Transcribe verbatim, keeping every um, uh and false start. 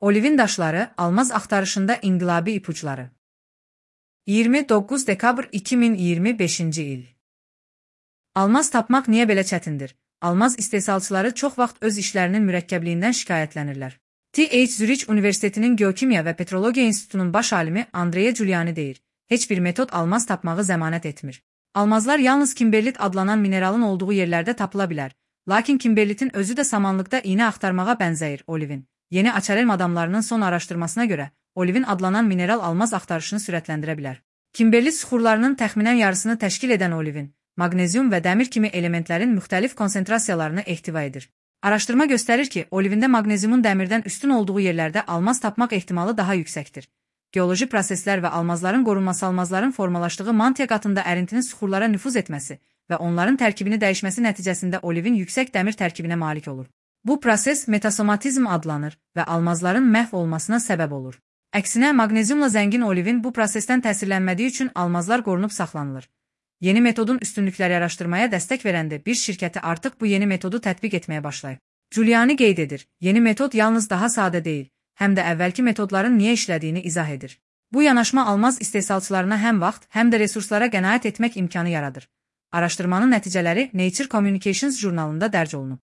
Olivin daşları, almaz axtarışında inqilabi ipuçları. iyirmi doqquz dekabr iki min iyirmi beşinci il. Almaz tapmaq niyə belə çətindir? Almaz istehsalçıları çox vaxt öz işlərinin mürəkkəbliyindən şikayətlənirlər. T H Zürich Universitetinin Geokimya və Petrologiya İnstitutunun baş alimi Andrea Giuliani deyir, heç bir metod almaz tapmağı zəmanət etmir. Almazlar yalnız kimberlit adlanan mineralın olduğu yerlərdə tapıla bilər, lakin kimberlitin özü də samanlıqda iynə axtarmağa bənzəyir. Olivin, yeni Açarelm adamlarının son araşdırmasına görə, olivin adlanan mineral almaz axtarışını sürətləndirə bilər. Kimberlit süxurlarının təxminən yarısını təşkil edən olivin, maqnezium və dəmir kimi elementlərin müxtəlif konsentrasiyalarını ehtiva edir. Araşdırma göstərir ki, olivində maqneziumun dəmirdən üstün olduğu yerlərdə almaz tapmaq ehtimalı daha yüksəkdir. Geoloji proseslər və almazların qorunması almazların formalaşdığı mantia qatında ərintinin süxurlara nüfuz etməsi və onların tərkibini dəyişməsi nəticəsində olivin yüksək dəmir tərkibinə malik olur. Bu proses metasomatizm adlanır və almazların məhv olmasına səbəb olur. Əksinə, maqneziumla zəngin olivin bu prosesdən təsirlənmədiyi üçün almazlar qorunub saxlanılır. Yeni metodun üstünlükləri araşdırmaya dəstək verəndə bir şirkəti artıq bu yeni metodu tətbiq etməyə başlayıb. Giuliani qeyd edir, yeni metod yalnız daha sadə deyil, həm də əvvəlki metodların niyə işlədiyini izah edir. Bu yanaşma almaz istehsalçılarına həm vaxt, həm də resurslara qənaət etmək imkanı yaradır. Araşdırmanın nəticələri Nature Communications jurnalında dərc olunub.